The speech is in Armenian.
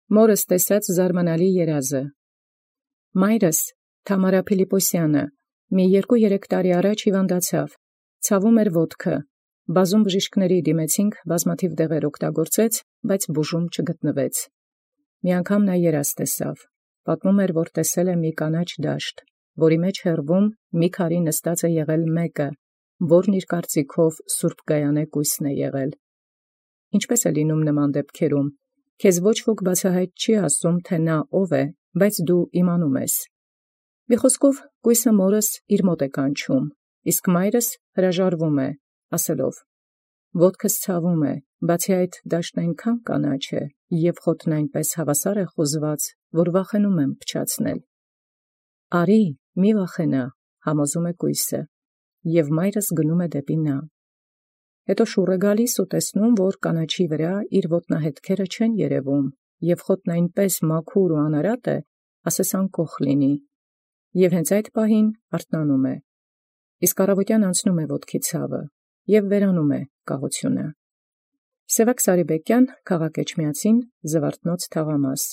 Մորս տեսած զարմանալի երազը։ Մայրս Թամարա Փիլիպոսյանը մի 2-3 տարի առաջ հիվանդացավ, ցավում էր ոտքը, բազում բժիշկների դիմեցինք, բազմաթիվ դեղեր օգտագործեց, բայց բուժում չգտնվեց։ Մի անգամ նա երազ տեսավ, պատմում էր, որ տեսել է մի կանաչ դաշտ, որի մեջ հեռվում մի քարի նստած է եղել մեկը, որն իր կարծիքով Սուրբ Գայանե կույսն է եղել։ Ինչպես է լինում նման դեպքերում, քեզ ոչ ոք բացահայտ չի ասում, թե նա ով է, բայց դու իմանում ես։ Մի խոսքով կույսը մորս իր մոտ է կանչում, իսկ մայրս հրաժարվում է, ասելով. «Ոտքս ցավում է, բացի այդ դաշտն այնքան կանաչ է, և խոտն այնպես հավասար է խուզված, որ վախենում եմ փչացնել»։ «Արի, մի վախենա», համոզում է կույսը, և մայրս գնում է դեպի նա։ Հետո շուռ է գալիս ու տեսնում, որ կանաչի վրա իր ոտնահետքերը չեն երևում, և խոտն այնպես մաքուր ու անարատ է, ասես անկոխ լինի, և հենց այդ պահին արթնանում է, իսկ առավոտյան անցնում է ոտքի ցավը, և վերանում է կաղությունը։ Սևակ Սարիբեկյան, քաղաք Էջմիածին, Զվարթնոց թաղամաս։